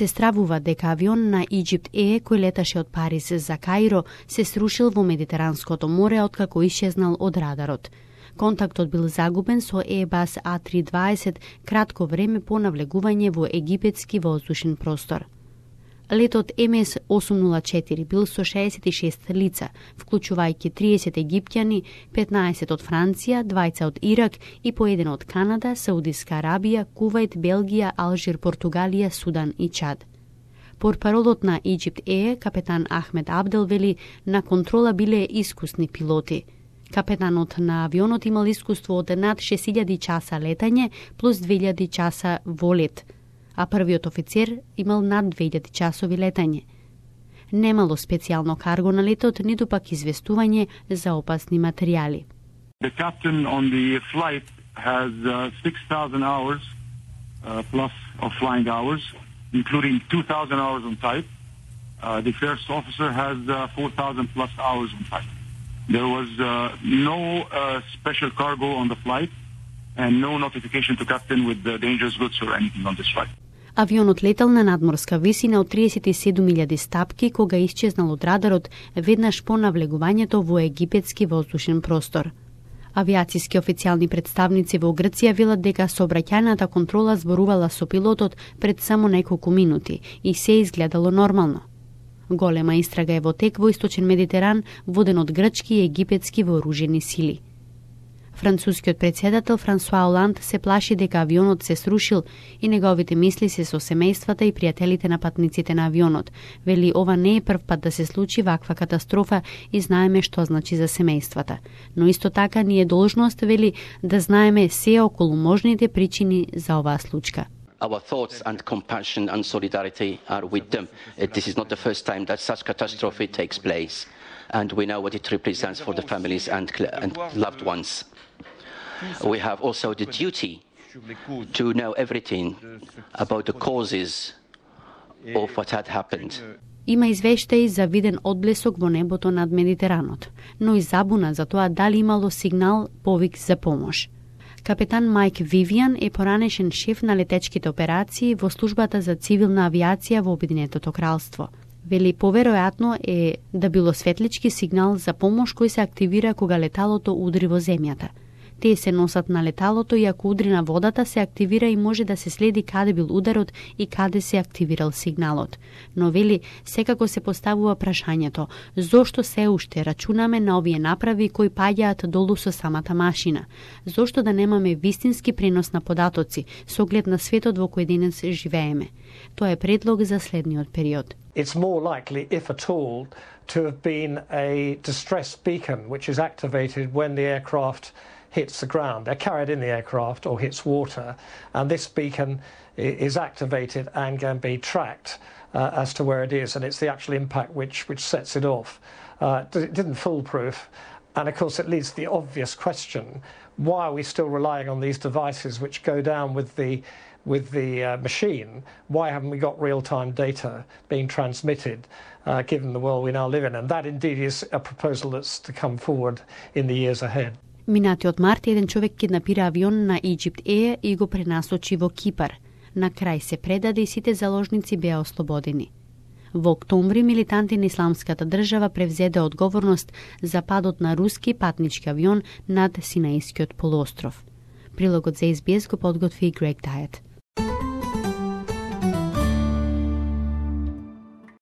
се стравува дека авион на Egypt Air кој леташе од Париз за Каиро се срушил во Медитеранското море откако исчезнал од радарот. Контактот бил загубен со Airbus A320 кратко време по навлегување во египетски воздушен простор. Летот MS-804 бил со 66 лица, вклучувајќи 30 египтјани, 15 од Франција, 20 од Ирак и по еден од Канада, Саудиска Арабија, Кувајт, Белгија, Алжир, Португалија, Судан и Чад. Портпаролот на Egypt Air, капетан Ахмед Абдел, вели на контрола биле искусни пилоти. Капетанот на авионот имал искуство од над 6000 часа летање плюс 2000 часа во лет, а првиот офицер имал над 2000 часови летање. Немало специјално карго на летот, ниту пак известување за опасни материјали. The captain on the flight has 6,000 hours plus of flying hours, including 2,000 hours on type. The first officer has 4,000 plus hours on type. There was no special cargo on the flight and no notification to captain with dangerous goods or anything on this flight. Авионот летал на надморска висина од 37.000 стапки кога исчезнал од радарот веднаш по навлегувањето во египетски воздушен простор. Авиациски официјални представници во Грција велат дека сообраќајната контрола зборувала со пилотот пред само неколку минути и се изгледало нормално. Голема истрага е во тек во Источен Медитеран, воден од грчки и египетски вооружени сили. Францускиот председател Франсуа Оланд се плаши дека авионот се срушил и неговите мисли се со семејствата и пријателите на патниците на авионот. Вели ова не е прв пат да се случи ваква катастрофа и знаеме што значи за семејствата. Но исто така ни е должност, вели, да знаеме се околу можните причини за оваа случка. Our thoughts and compassion and solidarity are with them. This is not the first time that such catastrophe takes place, and we know what it represents for the families and loved ones. We have also the duty to know everything about the causes of what had happened. Има извештаи за виден одблесок во небото над Медитеранот, но и забуна за тоа дали имало сигнал повик за помош. Капетан Майк Вивиан е поранешен шеф на летечките операции во службата за цивилна авиација во Обединетото кралство. Вели поверојатно е да било светлички сигнал за помош кој се активира кога леталото удри во земјата. Тие се носат на леталото и ако удри на водата се активира и може да се следи каде бил ударот и каде се активирал сигналот. Но вели секако се поставува прашањето зошто се уште рачунаме на овие направи кои паѓаат долу со самата машина? Зошто да немаме вистински пренос на податоци со оглед на светот во кој денес живееме? Тоа е предлог за следниот период. It's more likely, if at all, to have been a distress beacon which is activated when the aircraft hits the ground. They're carried in the aircraft or hits water, and this beacon is activated and can be tracked as to where it is, and it's the actual impact which sets it off. It didn't foolproof, and of course it leads to the obvious question, why are we still relying on these devices which go down with the machine? Why haven't we got real-time data being transmitted given the world we now live in? And that indeed is a proposal that's to come forward in the years ahead. Минатиот март еден човек киднапира авион на Egypt Air и го пренасочи во Кипар. На крај се предаде и сите заложници беа ослободени. Во октомври милитанти на Исламската држава превзеде одговорност за падот на руски патнички авион над Синаискиот полуостров. Прилогот за SBS го подготви Грег Тајет.